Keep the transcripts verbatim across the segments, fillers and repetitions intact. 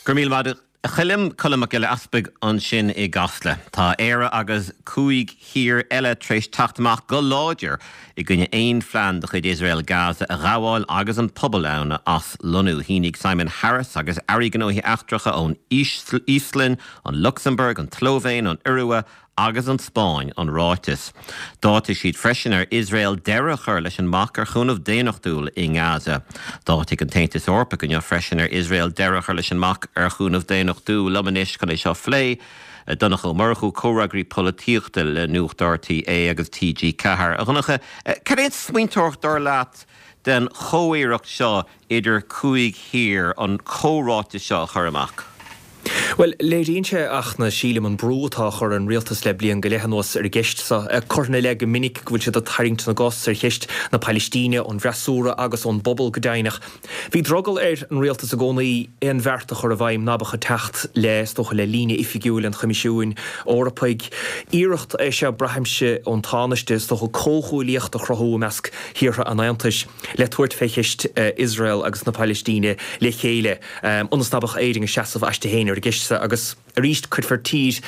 Go raibh míle maith agat a Choilm Colm Mac Giolla Easpaig ansin i gCasla. Tá Éire agus cúig thír eile tar éis teacht amach go láidir i gcoinne aon phlean de chuid Iosrael Gaza a ghabháil agus an pobal ann a aslonnú. Shínigh Simon Harris agus airí gnóthaí eachtracha ón Íoslainn, an Lucsamburg, an tSlóivéin, an Iorua agus an Spáinn an ráiteas. D'áitigh siad freisin ar Iosrael deireadh a chur leis an mbac ar chúnamh daonnachtúil i nGaza. D'áitigh an tAontas Eorpach inniu freisin ar Iosrael deireadh a chur leis an mbac ar chúnamh daonnachtúil liom anois chun é seo a phlé. Donncha Ó Murchú comhfhreagraí polaitíochta le Nuacht RTÉ agus TG Ceathair. A Dhonncha, cad é an smaointeoireacht dar leat den chomhiarracht seo idir cúig thír an comhráiteas seo a chur amach? Bhuel, léiríonn sé ach na sílim an brú atá á chur ar an rialtas le bliain go leith anuas ar an gceist seo. Curtha ina leith go minic go bhfuil siad ag tarraingt na gcos ar cheist na Palaistíne, ón bhfreasúra agus ón bpobal go deimhneach. Bhí drogall ar an rialtas i gcónaí aon bheart a chur i bhfeidhm ná beadh ag teacht le, is dócha, le líne oifigiúil an Choimisiúin Eorpaigh. Iarracht é seo, braithimse, ón Tánaiste, is dócha, comhghuaillíocht a chruthú i measc thíortha an Aontais le tabhairt fé cheist Iosrael agus na Palaistíne le chéile. Ionas ná beadh Éirinn ag seasamh aisti féin ar an gceist seo agus arís cuirfear tír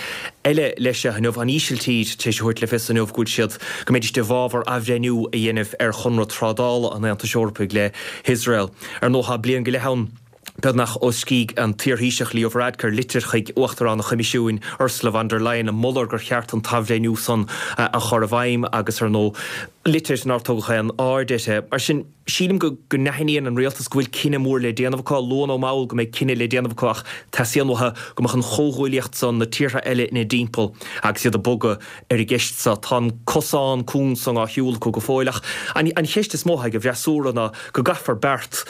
eile leis seo inniu, an Ísiltír, tar éis a thabhairt le fios inniu go bhfuil siad, go mbeidís i bhfabhar athbhreithniú a dhéanamh ar chonradh trádála an Aontais Eorpaigh le hIosrael. Ar ndóigh tá bliain go leith ann beagnach ó scrígh an t-iarThaoiseach Leo Varadkar litir chuig Uachtarán an Choimisiúin Ursula von der Leyen ag moladh gur cheart an t-athbhreithniú san a chur i bhfeidhm agus ar ndóigh litir nár tugadh aon aird uirthi. Mar sin, sílim go go n-aithníonn an rialtas go bhfuil cinneadh mór le déanamh acu, luath nó mall go mbeidh cinneadh le déanamh acu ach teastaíonn uathu go mbeadh an chomhghuaillíocht san, na tíortha eile ina dtimpeall agus iad ag bogadh ar an gceist seo. Tá an cosán cúng san á shiúl acu go fóill ach an an cheist is mó atá ag an bhfreasúra ná go gcaithfear beart,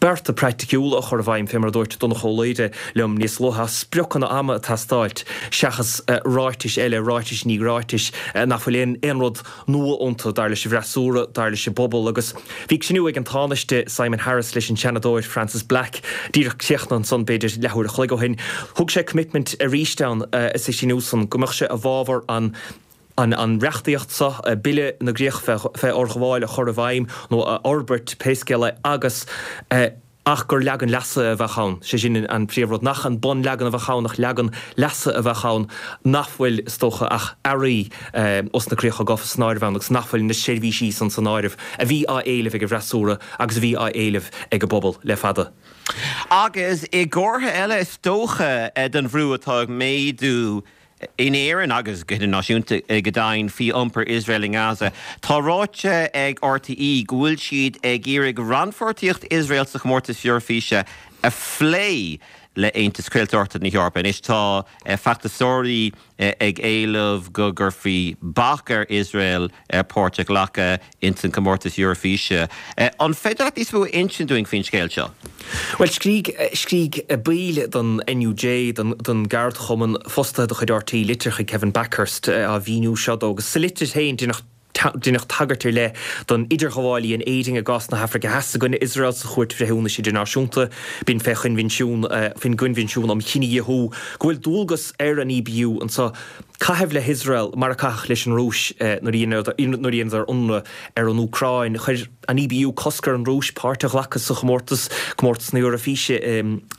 bearta praiticiúla a chur i bhfeidhm, fé mar a dúirt Donncha Ó Laoghaire liom níos luaithe, spriocanna ama ag teastáilt seachas ráitis eile, ráitis i ndiaidh ráitis nach bhfuil aon aon rud nua iontu, dar leis an bhfreasúra, dar leis an bpobal. Agus bhí cruinniú ag an Tánaiste Simon Harris leis an Seanadóir Frances Black díreach críochnaithe ansan b'fhéidir leathuair a chloig ó shin. Thug sé commitment arís ann sa chruinniú san go mbeadh sé i bhfabhar an an reachtaíocht seo, Bille na gCríoch fé Fhorghabháil a chur i bhfeidhm nó a fhorbairt, pé scéal é, agus ach gur leagan leasaithe a bheadh ann, sé sin an príomhrud, nach an bunleagan a bheadh ann ach leagan leasaithe a bheadh ann nach bhfuil, is dócha, ach earraí os na críocha gafa san áireamh ann agus nach bhfuil na seirbhísí san san áireamh a bhí á éileamh ag an bhfreasúra agus a bhí á éileamh ag an bpobal le fada. Agus i gcomhartha eile, is dócha, den bhrú atá ag méadú In Éirinn agus go hidirnáisiúnta go deimhin faoi iompar Iosrael i nGaza, tá ráite ag RTÉ go bhfuil siad ag iarraidh rannpháirtíocht Iosrael sa chomórtas Eoraifíse a phlé le Aontas Craoltóireachta na hEorpa. Anois tá feachtasóirí ag éileamh go gcuirfí bac ar Iosrael páirt a ghlacadh ins an gcomórtas Eoraifíse. An féidir leat níos mó a insint dúinn faoin scéal seo? Bhuel, scrígh, scrígh baill den NUJ, den, den gceardchumann fostaithe de chuid RTÉ, litir chuig Kevin Bakhurst á mhíniú seo dó agus sa litir féin deineadh, deineadh tagairt ar leith don idirghabháil a dhein Éirinn i gcás na hAfraice Theas i gcoinne Iosrael sa Chúirt Bhreithiúnais Idirnáisiúnta. B'in fé choinbhinsiún, faoin gCoinbhinsiún um Chinedhíothú, go bhfuil dualgas ar an EBU anseo caitheamh le hIosrael mar a caitheadh leis an Rúis nuair a dheineadar ionradh ar an Úcráin. Chuir an EBU cosc ar an Rúis páirt a ghlacadh sa chomórtas, comórtas na Eoraifíse,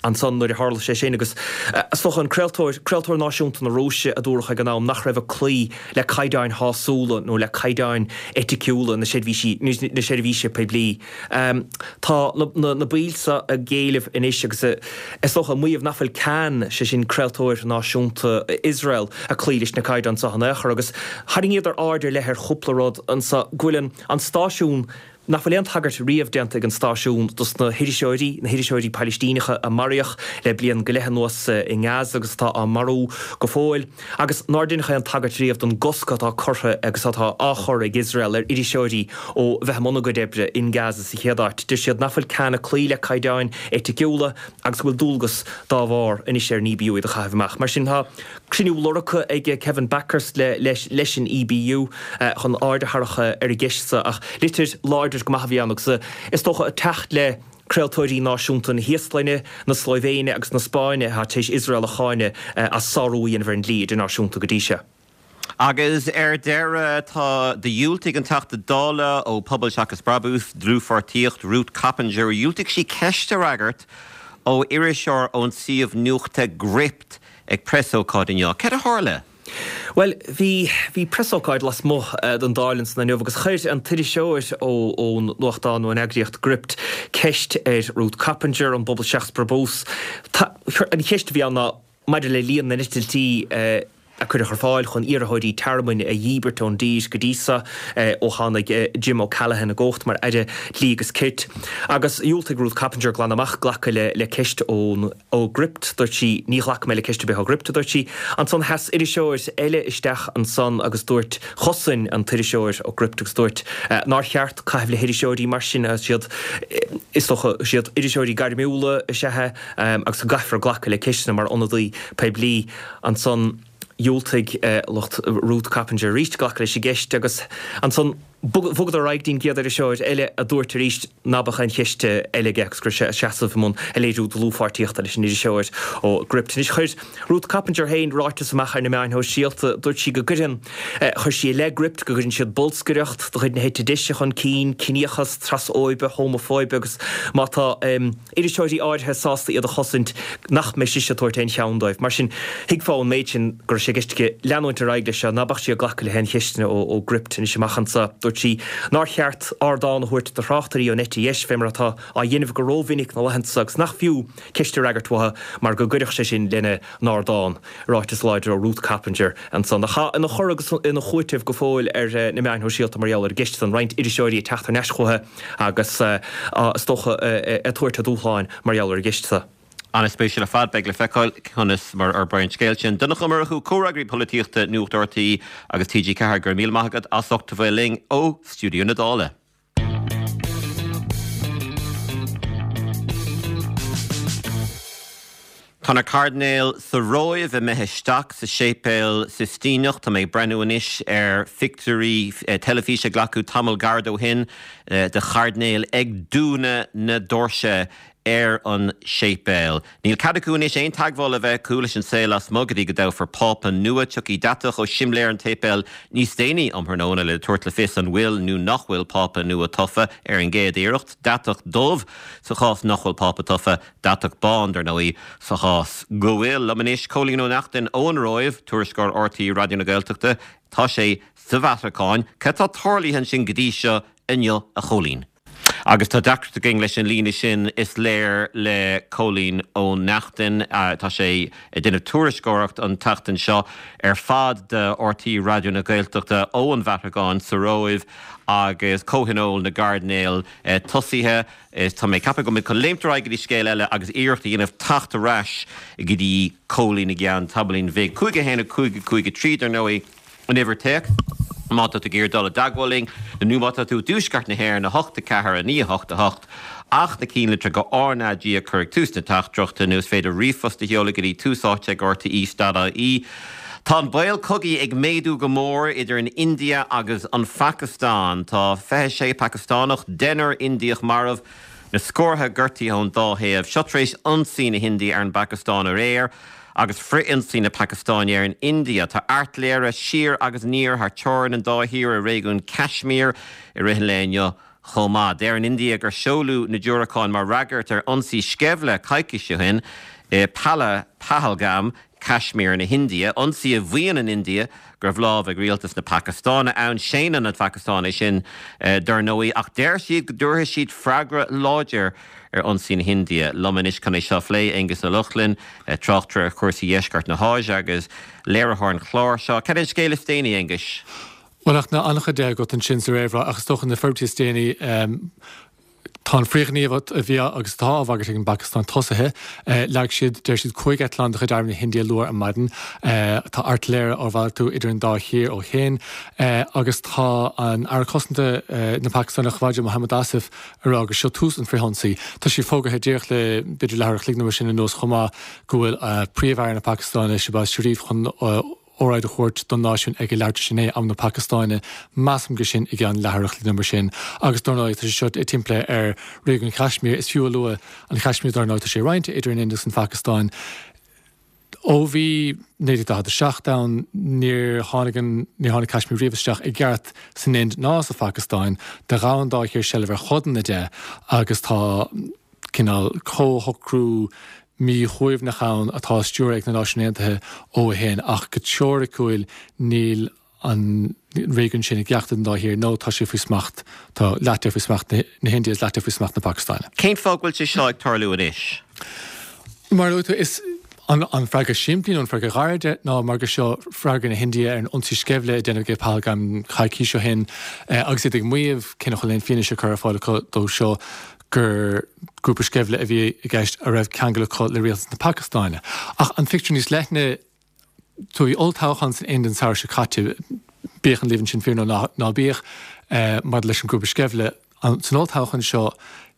ansan nuair a tharla sé sin agus is dócha an craoltóir, craoltóir náisiúnta na Rúise a dúradh ag an am nach raibh ag cloí le caighdeáin shásúla nó le caighdeáin eiticiúla na seirbhísí, na seirbhíse poiblí. Tá na baill seo ag éileamh anois agus is dócha ag maíomh nach bhfuil Kan, sé sin craoltóir náisiúnta Iosrael, ag cloí leis na caighdeáin seo in aon chor agus tharraingíodar aird ar leith ar chúpla rud anseo, go bhfuil an stáisiún, nach bhfuil aon tagairt riamh déanta ag an stáisiún dos na hiriseoirí, na hiriseoirí Palaistíneacha a maraíodh le bliain go leith anuas i nGaza agus atá á marú go fóill. Agus nár deineadh aon tagairt riamh don gcosc atá curtha agus atá á chur ag Iosrael ar iriseoirí ó bheith i mbun a gcuid oibre in Gaza sa chéad áit. Deir siad nach bhfuil Kan ag cloí le caighdeáin eiticiúla agus go bhfuil dualgas dá bharr anois ar an EBU iad a chaitheamh amach. Mar sin, tá cruinniú lorgtha ag Kevin Bakhurst leis an EBU chun aird a tharrac ar an gceist seo ach litir láidir go maith a bhí ann agus is dócha ag teacht le craoltóirí náisiúnta na hÍoslainne, na Slóivéine agus na Spáinne atá tar éis Iosrael a cháineadh as sárú a dhéanamh ar an dlí idirnáisiúnta go dtí seo. Agus ar deireadh, tá, dhiúltaigh an Teachta Dála ó Pobal Seachas Brabús, Dlúthpháirtíocht, Ruth Coppinger, dhiúltaigh sí ceist a fhreagairt ó iriseoir ón suíomh nuachta Gript ag preasócáid inniu. Cad a tharla? Bhuel, bhí bhí preasócáid lasmuigh den Dáil ansan inniu agus chuir an t-iriseoir ón nuachtán nó an eagraíocht Gript ceist ar Ruth Coppinger ón bPobal Seachas Brabús. An cheist a bhí ann ná maidir le líon na n-eitiltí a cuireadh ar fáil chun iarrthóirí tearmainn a dhíbirt ón dtír go dtí seo ó tháinig Jim O'Callaghan i gcumhacht mar Aire Dlí agus Cirt. Agus dhiúltaigh Ruth Coppinger glan amach glacadh le le ceist ón ó Gript, dúirt sí, ní ghlacfaidh mé le ceist ar bith ó Gript, a dúirt sí. Ansan sheas iriseoir eile isteach ansan agus dúirt, chosain an t-iriseoir ó Gript agus dúirt nár cheart caitheamh le hiriseoirí mar sin, is iad, is dócha, is iad iriseoirí gairmiúla is ea é agus go gcaithfear glacadh le ceisteanna mar ionadaí poiblí. Ansan dhiúltaigh lucht Ruth Coppinger arís glacadh leis an gceist agus ansan bhogadar ar aghaidh go dtí an gcéad iriseoir eile a dúirt arís ná beadh aon cheist eile aige agus go raibh sé ag seasamh i mbun ag léiriú dlúthpháirtíochta leis an iriseoir ó Gript. Anois chuir Ruth Coppinger féin ráiteas amach ar na meáin shóisialta. Dúirt sí go gcuireann, chuir sí i leith Gript go gcuireann siad bolscaireacht de chuid na heite deise chun cinn, ciníochas, trasfhóibe, homafóibe agus má tá iriseoirí áirithe sásta iad a chosaint nach mbeidh sise ag tabhairt aon cheann dóibh. Mar sin, thuigfeá ón méid sin go raibh sé i gceist aici leanúint ar aghaidh leis seo, ná beadh sí ag glacadh le haon cheisteanna ó Gript anois amach anseo. Dúirt sí nár cheart ardán a thabhairt do thráchtairí ón eite dheis, fé mar atá á dhéanamh go rómhinic na laethanta seo agus nach fiú ceist a fhreagairt uathu mar go gcuirfeadh sé sin lena n-ardán. Ráiteas láidir ó Ruth Coppinger ansan, atá ina chur agus ina chúiteamh go fóill ar na meáin shóisialta mar gheall ar an gceist san, roinnt iriseoirí ag teacht thar n-ais chuici agus is dócha ag tabhairt a dúshláin mar gheall ar an gceist seo. An-spéisiúil ar fad, beidh le feiceáil conas mar a fhorbraíonn an scéal sin. Donncha Ó Murchú, Comhfhreagraí Polaitíochta Nuacht RTÉ agus T G ceathair, go raibh míle maith agat as ucht a bheith linn ó stiúideo na Dála. Tá na cairdinéil sa Róimh imithe isteach sa Séipéal Sistíneach. Tá mé ag breathnú anois ar phictiúirí teilifíse a glacadh tamall gairid ó shin de chairdinéil ag dúnadh na doirse ar an séipéal. Níl cead acu anois aon teagmháil a bheith acu leis an saol lasmuigh go dtí go dtoghfar Pápa nua. Tiocfaidh deatach ó shimléar an tséipéil níos déanaí um thráthnóna le tabhairt le fios an bhfuil nó nach bhfuil Pápa nua tofa ar an gcéad iarracht. Deatach dubh sa chás nach bhfuil Pápa tofa, deatach bán, dar ndóigh, sa chás go bhfuil. Liom anois, Cóilín Ó Neachtain ón Róimh, tuairisceoir RTÉ Raidió na Gaeltachta. Tá sé sa Vatacáin. Cad tá tarlaithe ansin go dtí seo inniu, a Chóilín? Agus tá deacracht againn leis an líne sin, is léir, le Cóilín Ó Neachtain. Tá sé ag déanamh tuairisceoireacht an tseachtain seo ar fad do RTÉ Raidió na Gaeltachta ó an Vatacáin sa Róimh agus comhthionól na gcairdinéal tosaithe. Tá mé ag ceapadh go bhfuil muid chun léimt ar aghaidh go dtí scéal eile agus iarracht a dhéanamh teacht ar ais go dtí Cóilín i gceann tamaillín bhig. Cúig a haon a cúig a cúig a trí, dar ndóigh. An uimhir téacs, má tá tú ag iarraidh dul i dteagmháil linn, nó má tá tú i dtuaisceart na hÉireann, a hocht a ceathair a naoi a hocht a hocht, ach na cinnlitreacha R na G a chur ag tús na teachtaireachta, nó is féidir ríomhphost a sheoladh go dtí tús áite ag rte dot ie. Tá an baol cogaidh ag méadú go mór idir an India agus an Phacastáin. Tá fiche sé Pacastánach, deichniúr Indiach marbh, na scórtha gortaithe ón dá thaobh. Seo tar éis ionsaí na hIndia ar an bPacastáin aréir. Agus frith-ionsaí na Pacastáine ar an India, tá airtléire siar agus aniar thar teorainn an dá thír i réigiún Kashmir i rith an lae inniu chomh maith. Deir an India gur seoladh na diúracáin mar fhreagairt ar ionsaí sceimhle coicís ó shin i Pahalgam, Kashmir na hIndia, ionsaí a mhaíonn an India go raibh lámh ag rialtas na Pacastáine ann. Séanann an Phacastáin é sin dar ndóigh, ach deir siad go dtabharfaidh siad freagra láidir ar ionsaí na hIndia. Liom anois chun é seo a phlé, Aengus Ó Lochlainn, tráchtaire ar chúrsaí dheisceart na hÁise agus léiritheoir an chláir seo. Cad é an scéal is déanaí, Aonghuis? Bhuel, ach tá an-chuid agat ansin sa réamhrá, ach is dócha na forbairtí is déanaí, tá an frithghníomh a bhí agus atá á bhagairt ag an bPacastáin tosaithe. Leag siad, deir siad, cúig eitleán de chuid Arm na hIndia luath ar maidin. Tá airtléire á mhalartú idir an dá thír ó shin agus tá an Aire Cosanta na Pacastáine, Khawaja Muhammad Asif, ag rá gur seo tús an frithionsaí. Tá sé fógartha díreach le b'fhéidir leathuair a chloig nó mar sin anuas chomh maith go bhfuil Príomh-Aire na Pacastáine, Shehbaz Sharif, chun óráid a thabhairt don náisiún ag a leathuair tar éis a naoi, am na Pacastáine. Measaim gur sin i gceann leathuair a chloig nó mar sin. Agus dar ndóigh tá sé seo timpeallaithe ar réigiún Kashmir. Is fiú a lua an Kashmir dar ndóigh tá sé roinnte idir an Ind agus an Phacastáin. Ó bhí naoi déag daichead a seacht ann, níor tháinig an, níor tháinig Kashmir riamh isteach i gceart san Ind ná sa Phacastáin. Do ghabh an dá thír seilbh ar chodanna de agus tá cineál comhshocrú míshuaimhneach ann atá á stiúradh ag na Náisiúin Aontaithe ó shin, ach go teoiriciúil níl an réigiún sin i gceachtar den dá thír nó tá sé faoi smacht, tá leath de faoi smacht na hIndia is leath de faoi smacht na Pacastáine. Cén fáth go bhfuil sé seo ag tarlú anois? Mar a luaigh tú, is an freagra simplí nó an freagra gairid ná mar gur seo freagra na hIndia ar an ionsaí sceimhle a deineadh ag Pahalgam coicís ó shin agus iad ag maíomh, cé nach bhfuil aon fianaise curtha ar fáil acu dó seo, gur grúpa sceimhle a bhí i gceist a raibh ceangal acu le rialtas na Pacastáine. Ach an phictiúr níos leithne, bhí olltoghchán san Ind an samhradh seo caite, bíodh an líomhain sin fíor nó ná bíodh, maidir leis an ngrúpa sceimhle. San olltoghchán seo,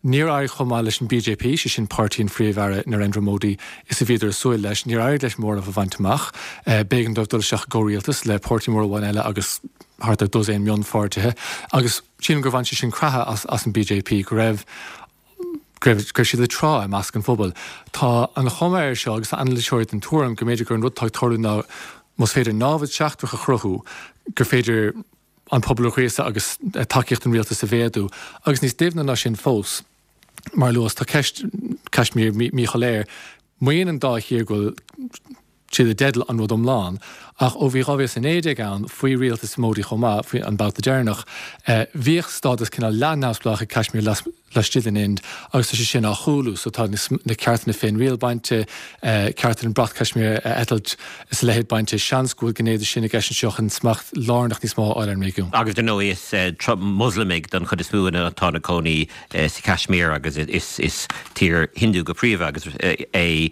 níor éirigh chomh maith leis an BJP, sé sin páirtí an Phríomh-Aire Narendra Modi, is a bhíodar ag súil leis. Níor éirigh leis móramh a bhaint amach. B'éigean dóibh dul isteach i gcomhrialtas le páirtí mór amháin eile agus thart ar dosaen mionpháirtithe. Agus sílim gur bhain sé sin creathadh as as an BJP, go raibh go raibh go raibh siad ag trá i measc an phobail. Tá an chuma air seo, agus tá anailíseoirí den tuairim, go mb'fhéidir gur an rud atá ag tarlú ná más féidir námhaid seachtrach a chruthú, gur féidir an pobal a ghríosadh agus tacaíocht don rialtas a mhéadú. Agus níos doimhne ná sin fós, mar a luas, tá ceist Kashmir míshoiléir. Maíonn an dá thír go bhfuil siad i dteideal an rud iomlán, ach ó bhí dhá mhíle is a naoi déag ann, faoi rialtas Modi chomh maith, faoi an babhta deireanach, bhíodh stádas cineál leath-neamhspleách ag Kashmir laistigh den Ind agus tá sé sin á chúlú. So tá na ceartanna féinriail bainte, cearta an brat Kashmir a eitilt is a leithéid bainte. Seans go bhfuil gné de sin i gceist anseo chun smacht lárnach níos mó a fháil ar an réigiún. Agus dar ndóigh is Moslamaigh don chuid is mó atá ina gcónaí sa Kashmir agus is tír Hindu go príomha agus é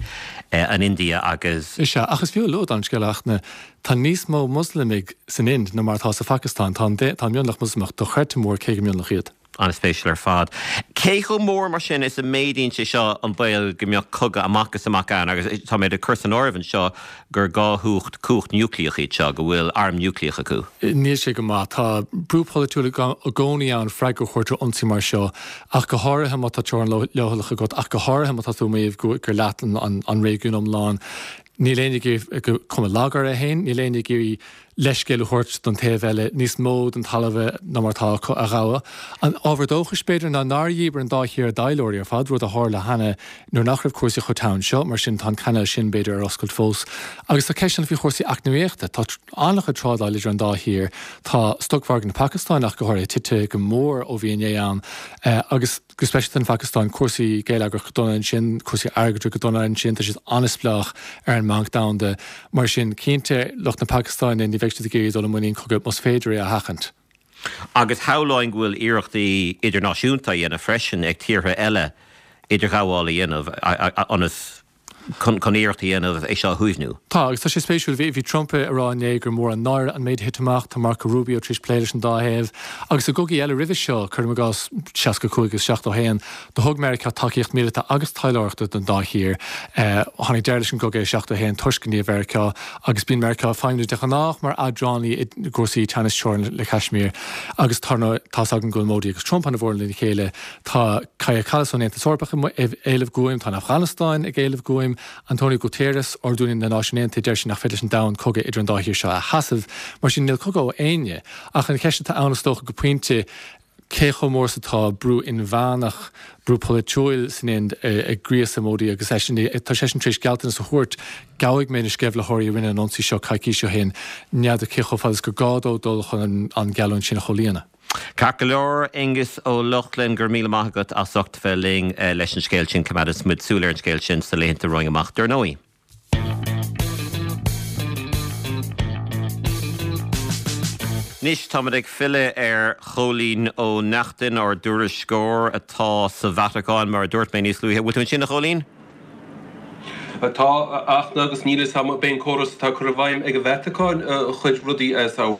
an India agus. Is ea, ach is fiú a lua don scéal a Fhachtna, tá níos mó Moslamaigh san Ind ná mar atá sa Phacastáin. Tá an mionlach Moslamach dochreidte mór cé gur mionlach iad. An-spéisiúil ar fad. Cé chomh mór mar sin is a méadaíonn sé seo an baol go mbeadh cogadh amach is amach ann agus tá mé ag cur san áireamh anseo gur dhá chumhacht, cumhacht núicléach iad seo, go bhfuil arm núicléach acu? Níl sé go maith. Tá brú polaitiúil i gcónaí ann freagra a thabhairt ar ionsaí mar seo, ach go háirithe má tá teorainn leochaileach agat, ach go háirithe má tá tú ag maíomh gur leat an réigiún iomlán. Níl éinne ag iarraidh cuma lag orthu féin, níl éinne ag iarraidh leithscéal a thabhairt don taobh eile, níos mó den talamh ná mar atá acu a ghabhadh. An ábhar dóchais, b'fhéidir, ná nár dhíbir an dá thír a dtaidhleoirí ar fad, rud a tharla cheana nuair nach raibh cúrsaí chomh teann seo, mar sin tá an cainéal sin, b'fhéidir, ar oscailt fós. Agus tá ceisteanna faoi chúrsaí eacnamaíochta. Tá an-chuid trádáil idir an dá thír. Tá stocmhargadh na Pacastáine ach go háirithe tite go mór ó bhí inné ann agus, go speisialta an Phacastáin, cúrsaí geilleagrach go dona ansin, cúrsaí airgeadra go dona ansin, tá siad an-spleách ar an mBanc Domhanda. Mar sin, cinnte, lucht na Pacastáine, ní bheidh siad ag iarraidh dul i muinín cogaidh más féidir é a sheachaint. Agus shamhlóinn go bhfuil iarrachtaí idirnáisiúnta á dhéanamh freisin ag tíortha eile idirghabháil a dhéanamh ionas chun iarracht a dhéanamh é seo a shuaimhniú. Tá, agus tá sé spéisiúil, bhí Trump ag rá inné gur mór an náire an méid a thit amach, tá Marco Rubio tar éis plé leis an dá thaobh, agus i gcogaí eile roimhe seo, cuirim i gcás seasca cúig agus seachtó a haon, do thug Meiriceá tacaíocht míleata agus taidhleoireachta don dá thír. Tháinig deireadh leis an gcogadh i seachtó a haon toisc gníomh Mheiriceá, agus bíonn Meiriceá ag feidhmiú de ghnáth mar eadránaí i gcúrsaí teannas teorann le Caismír, agus tá tá's againn go bhfuil Modi agus Trump ana-mhór lena chéile. Tá Kaja Kallas ón Aontas Eorpach ag éileamh guaim, tá an Afganastáin ag éileamh guaim, António Guterres, Ard-Rúnaí na Náisiún Aontaithe, deir sé nach féidir leis an domhan cogadh idir an dá thír seo a sheasamh. Mar sin, níl cogadh ó éinne. Ach an cheist atá ann, is dócha, go pointe, cé chomh mór is atá brú inmheánach, brú polaitiúil san Ind ag gríosadh Modi agus eisean, tá seisean tar éis gealltanas a thabhairt, gabhfaidh mé na sceimhlitheoirí a rinne an ionsaí seo coicís ó shin, n'fheadar cé chomh fada is gur gá dó dul chun an gheallúint sin a chomhlíonadh. Ceart go leor, Aengus Ó Lochlainn, go raibh míle maith agat as ucht bheith linn leis an scéal sin. Coimeádfaidh muid súil ar an scéal sin sna laethanta romhainn amach, dar ndóigh. Anois táimid ag filleadh ar Chóilín Ó Neachtain, ár dtuairisceoir atá sa Vatacáin, mar a dúirt mé níos luaithe. Bhfuil tú ansin, a Chóilín? Tá, a Fhachtna, agus níl a fhios agam ab é an córas atá curtha i bhfeidhm ag an Vatacáin a chuir rudaí as a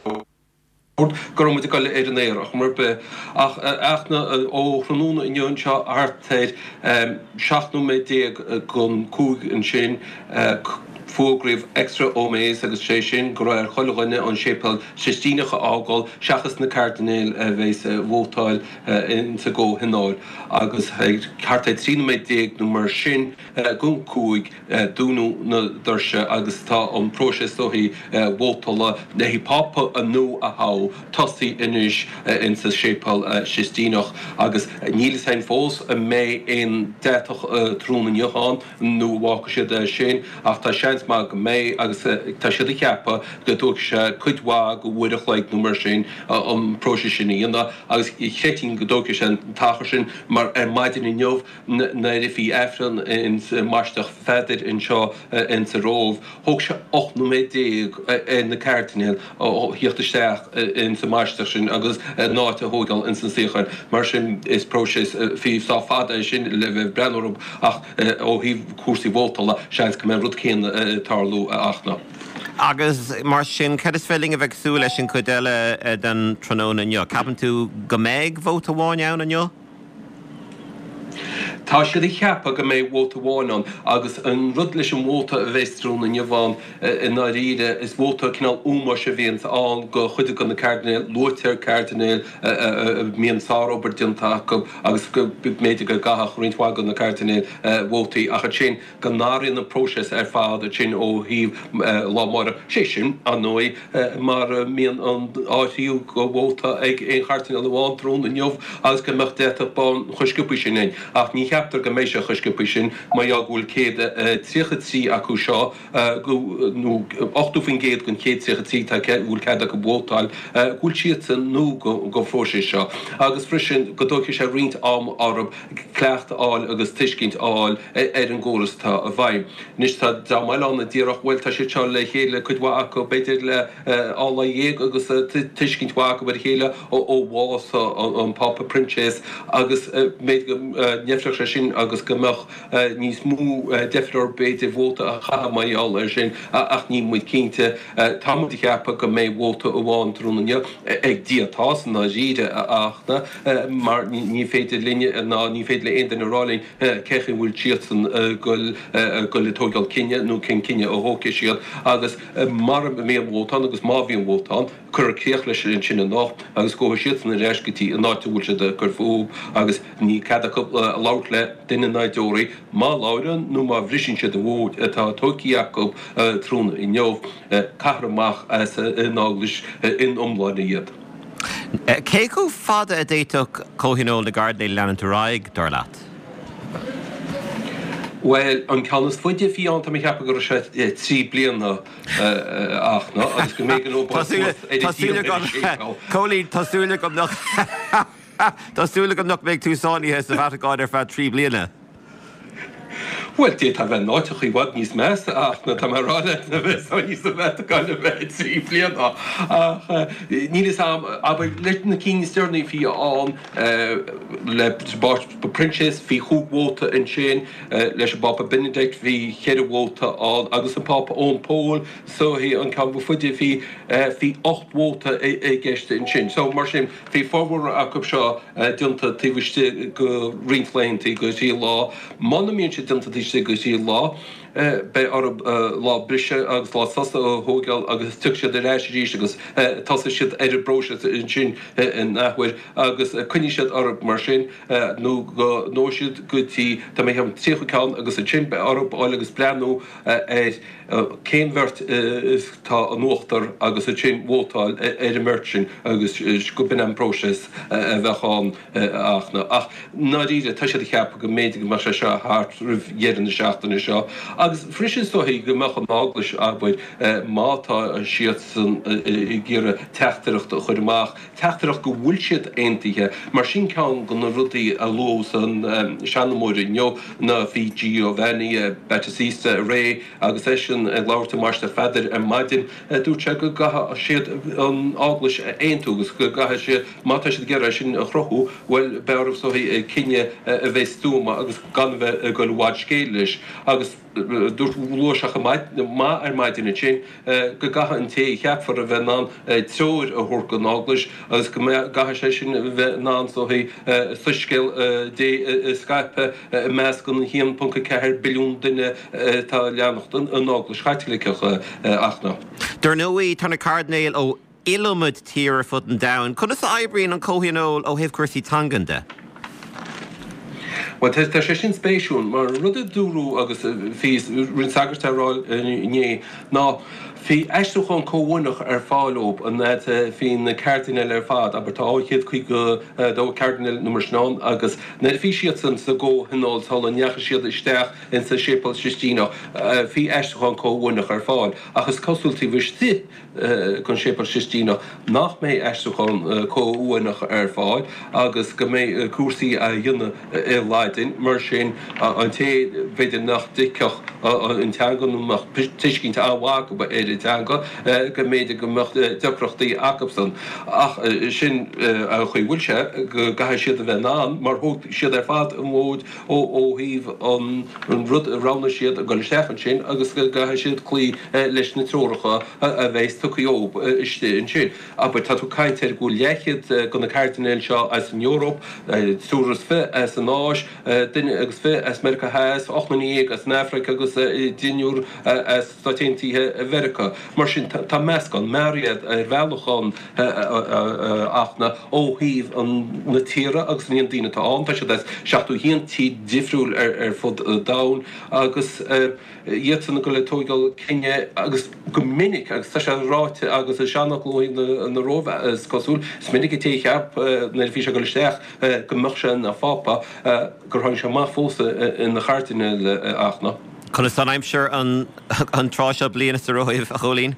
go raibh muid ag dul ar an aer ar chuma ar bith. Ach, a Fhachtna, ó thráthnóna inniu anseo thart ar seacht nóiméad déag don cúig ansin, Fógraíodh extra omnes agus sé sin go raibh ar chuile dhuine an Séipéal Sistíneach a fhágáil seachas na cairdinéil a bheas ag vótáil insa gcomhthionól agus thart ar trí nóiméad déag nó mar sin don cúig dúnadh na doirse agus tá an próiseas ó thaobh vótála le haghaidh Pápa nua a thoghadh tosaithe anois insa Séipéal Sistíneach agus níl fhios againn fós an mbeidh aon deatach tráthnóna inniu ann nó an bhfágfaidh siad é sin ach tá seans maith go mbeidh agus tá siad ag ceapadh go dtógfaidh sé cuid mhaith go uair a chloig nó mar sin an próiseas sin a dhéanamh agus chreidfinn go dtógfaidh sé an t-achar sin mar ar maidin inniu nuair a bhí Aifreann ins Mainistir Pheadair anseo insa Róimh thóg sé ocht nóiméad déag ar na cairdinéil theacht isteach insa mainistir sin agus a n-áit a thógáil ins na suíocháin. Mar sin is próiseas fiú sách fada é sin le bheith ag breathnú orthu ach ó thaobh cúrsaí vótála seans go mbeidh an rud céanna ag tarlú ach ná. Agus mar sin, cad is féidir linn a bheith ag súil leis an chuid eile den tráthnóna inniu? Ceapann tú go mbeidh vóta amháin ann inniu? Tá siad ag ceapadh go mbeidh vóta amháin ann agus an rud leis an vóta a bheas tráthnóna inniu ann i ndáiríre is vóta cineál ómóis a bhíonns ann go chuid de na cairdinéil, luaitear cairdinéil a mbíonn sárobair déanta acu agus go mb'fhéidir go gcaithfeadh roinnt mhaith de na cairdinéil vótaí ach ansin go n-athraíonn an próiseas ar fad ansin ó thaobh lá amárach. Sé sin, ar ndóigh, mara mbíonn an áiríodh go vóta ag aon chairdinéal amháin tráthnóna inniu agus go mbeadh deatach bán chomh sciobtha sin ann. Ach ní cheaptar go mbeidh sé chomh sciobtha sin mar gheall go bhfuil céad tríocha trí acu seo, nó ochtó faoin gcéad den chéad tríocha trí atá a bhfuil cead acu vótáil, go bhfuil siadsan nua don phróiseas seo. Agus freisin go dtógfaidh sé roinnt ama orthu cleachtadh a fháil agus tuiscint a fháil ar an gcóras atá i bhfeidhm. Anois tá dream eile ann a déarfadh, bhuel tá siad seo le chéile, cuid mhaith acu b'fhéidir le dhá lá dhéag agus tuiscint mhaith acu ar a chéile ó bhás an Phápa Proinsias agus b'fhéidir go ndeifreodh sé sin agus go mbeadh níos mó deifre orthu b'fhéidir vóta a chaitheamh mar gheall air sin ach níl muid cinnte. Tá muid ag ceapadh go mbeidh vóta amháin tráthnóna inniu ag Dia atá i ndáiríre a Fhachtna mar ní féidir linne ná ní féidir le aon duine a rá linn cé chaoi a bhfuil siadsan ag goil ag tóigeáil cinneadh nó cén cinneadh a thógfaidh siad agus mara mbíonn vóta ann agus má bhíonn vóta ann, cuirfear críoch leis ansin anocht agus gabhfaidh siadsan ar ais go dtí an áit a bhfuil siad ag cur fúthu agus níl cead acu labhairt le duine ná deoraí. Má labhrann nó má bhriseann siad an vóta atá tógtha acu tráthnóna inniu, caithfear amach as an eaglais ina iomláine iad. Cé chomh fada a d'fhéadfadh Comhthionól na gCairdinéal leanúint ar aghaidh, dar leat? Bhuel, an ceann is faide a bhí ann, tá mé ag ceapadh go raibh sé trí bliana ach ná agus go mb'éigean dó bheith suas ar a díon ar an séipéal. Cóilín, tá súil agam nach tá súil agam nach mbeidh tú sáinnithe sa Vatacáin ar feadh trí bliana. Bhuel, d'fhéadfá a bheith in áiteacha i bhfad níos measa ach ná tá mé ag rá leat a bheith sáinnithe sa Vatacáin ar feadh trí bliana. Ach níl fhios a'm, abair, leis na cinn is deireanaí a bhí ann, le Pápa Proinsias, bhí chúig vóta ansin, leis an bPápa Benedict bhí ceithre vóta ann agus an Pápa Eoin Pól, so hé an ceann ba faide, bhí bhí ocht vóta i gceist ansin. So mar sin, bhí formhór acu seo déanta taobh istigh de roinnt laethanta, go thrí lá. Muna mbíonn sé déanta taobh istigh de thrí lá, beidh orthu lá briseadh agus lá sosa a thóigeáil agus tiocfaidh siad ar ais arís agus tosóidh siad ar an bpróiseas ansin in athuair agus coinneoidh siad orthu mar sin nó go ndófaidh siad go dtí, tá mé ag ceapadh, tríocha ceann agus ansin beidh orthu dul agus breathnú ar cén bheirt atá in uachtar agus ansin vótáil ar an mbeirt sin agus go b'in an próiseas a bheadh ann ach na. Ach i ndáiríre tá siad ag ceapadh go mb'fhéidir go mbeadh sé seo thart roimh dheireadh na seachtaine seo agus freisin is dóichí go mbeadh an Eaglais, abair, má tá siadsan ag iarraidh teachtaireacht a chur amach, teachtaireacht go bhfuil siad aontaithe, mar sin ceann de na rudaí a luadh san seanmóir inniu ná bhí Giovanni Battista Re agus eisean ag labhairt i Mainistir Pheadair ar maidin, dúirt sé go gcaithfidh siad an Eaglais a aontú agus go gcaithfidh siad, má tá siad ag iarraidh é sin a chruthú, bhuel, beidh orthu is dóichí cinneadh a bheith stuama agus gan a bheith ag dul i bhfad scéil leis. Agus Dúirt luaigh sé chomh maith ar maidin ansin go gcaithfidh an té a cheapfar a bheith in ann treoir a thabhairt don Eaglais agus go gcaithfidh sé sin a bheith in ann soiscéal Dé a scaipeadh i measc an a haon ponc a ceathair billiún duine atá ag leanacht an Eaglais Chaitliceach ach na. Dar ndóigh, tá na cairdinéil ó iliomad tír ar fud an domhain. Conas a oibríonn an comhthionól ó thaobh cúrsaí teangan de? Bhuel, tá sé sin spéisiúil, mar an rud a dúradh agus bhí roinnt sagart á rá inné ná bhí aistriúchán comhuaineach ar fáil dóibh an fhad a bhí na cairdinéil ar fad, abair tá dhá chéad caoga a dó cairdinéal nó mar sin ann agus nuair a bhí siadsan sa gcomhthionól sula ndeachaigh siad isteach insa Séipéal Sistíneach bhí aistriúchán comhuaineach ar fáil ach is cosúil taobh istigh den Séipéal Sistíneach nach mbeidh aistriúchán comhuaineach ar fáil agus go mbeidh cúrsaí á dhéanamh i Laidin. Mar sin, an té, b'fhéidir, nach dtuigfeadh an teanga nó nach mbeadh tuiscint an-mhaith acu ar an teanga, go mb'fhéidir go mbeadh deacrachtaí acusan. Ach sin an chaoi a bhfuil sé, go gcaithfidh siad a bheith in ann, mar thóg siad ar fad an mhóid ó thaobh an rud a roghnaigh siad a dhul isteach ansin agus go gcaithfidh siad cloí leis na treoracha a bheas tugtha dhóibh istigh ansin. Abair, tá tú ag caint ar go bhfuil leathchéad de na cairdinéil seo as an Eoraip, triúr is fiche as an Áis, duine agus fiche as Meiriceá Theas, ocht nduine dhéag as an Afraic agus deichniúr as Stáit Aontaithe Mheiriceá. Mar sin, tá meascán mearaí ar bhealach ann ach na ó thaobh na tíre agus an líon daoine atá ann, tá siad as seachtó a haon tír difriúil ar fud an domhain agus iadsan ag dul ag tóigeáil cinneadh agus go minic, agus tá sé ráite agus is seanfhocal ó thaobh na Róimhe is cosúil, is minic an té a cheap nuair a bhí sé ag dul isteach go mbeadh sé ina phápa gur tháinig sé amach fós ina chairdinéal ach na. Conas tá an aimsir an tráth seo bliana sa Róimh, a Chóilín?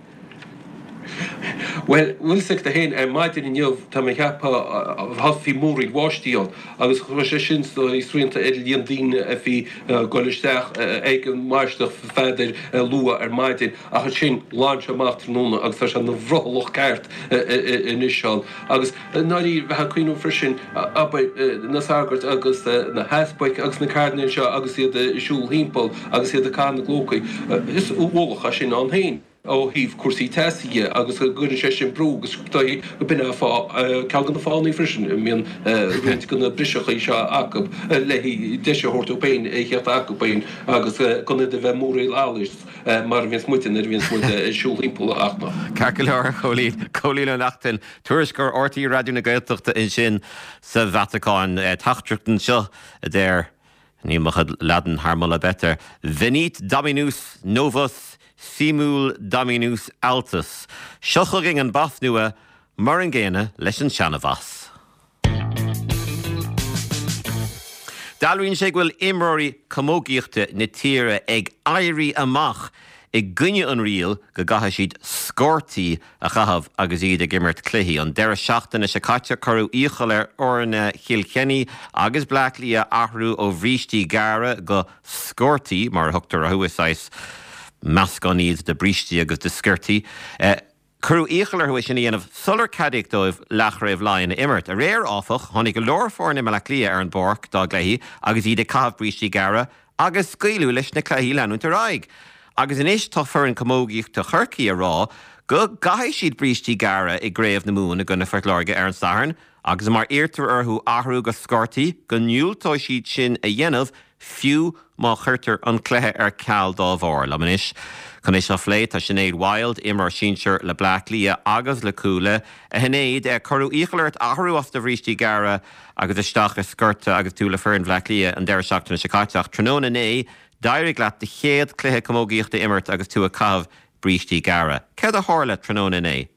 Bhuel, bhfuil 'fhios agat féin, ar maidin inniu, tá mé ag ceapadh, bhí múraíl bháistí ann agus chuir sé sin srianta ar líon daoine a bhí ag dul isteach ag an mBaisileach Pheadair luath ar maidin ach ansin ghlan sé amach tráthnóna agus tá sé ina bhrothallach ceart anois ann. Agus i ndáiríre, bheifeá ag cuimhneamh freisin, abair, na sagairt agus na heaspaig agus na cairdinéil seo agus iad ag siúl thimpeall agus iad ag caitheamh na gclócaí, is ualach é sin ann féin. ó thaobh cúrsaí teasa dhe agus go gcuireann sé sin brú agus is dóichí go b'in é fáth, ceann de na fáthanna freisin a mbíonn roinnt de na briseachaí seo acu le deis a thabhairt dóibh féin a theacht acu féin agus gan iad a bheith múraíl allais mar a bhíonns muide nuair a bhíonns muid ag siúl thimpeall ach. Ceart go leor, a Chóilín. Cóilín Ó Neachtain, tuairisceoir RTÉ Raidió na Gaeltachta ansin sa Vatacáin. Teachtaireacht anseo a deir. Níl mo chuid Laidin thar moladh beirte. Venit Dominus novus simul Dominus altus. Seo chugainn an bas nua, mar an gcéanna leis an seana-bhas. Dealraíonn sé go bhfuil imreoirí camógaíochta na tíre ag éirí amach i gcoinne an riail go gcaithfidh siad sciortaí a chaitheamh agus iad ag imirt cluichí. An deireadh seachtaine seo caite cuireadh iachall ar fhoirne Chill Chainnigh agus Bleá Cliath athrú ó bhrístí gearra go sciortaí, mar a thugtar orthu, is saghas meascán iad de bhrístí agus de sciortaí. Cuireadh iachall orthu é sin a dhéanamh sular ceadaíodh dóibh Leathchraobh Laighean a imirt. Aréir, áfach, tháinig go leor foirne i mBaile Átha Cliath ar an bpáirc dá gcluichí agus iad ag caitheamh brístí gearra agus scaoileadh leis na cluichí leanúint ar aghaidh. Agus anois tá foireann camógaíochta Chorcaí ag rá go gcaithfidh siad brístí gearra i gCraobh na Mumhan i gcoinne Phort Láirge ar an Satharn agus má iarrtar orthu athrú go sciortaí go ndiúltóidh siad sin a dhéanamh fiú má chuirtear an cluiche ar ceal dá bharr. Liom anois chun é seo a phlé tá Sinéad Wilde, imreoir sinsir le Bleá Cliath agus le Cuala. A Shinéad, cuireadh iachall ort athrú as do bhrístí gearra agus isteach i sciorta agus tú le foireann Bhleá Cliath an deireadh seachtaine seo caite ach tráthnóna inné d'éirigh leat do chéad chluiche camógaíochta a imirt agus tú ag caitheamh brístí gearra. Céard a tharla tráthnóna inné?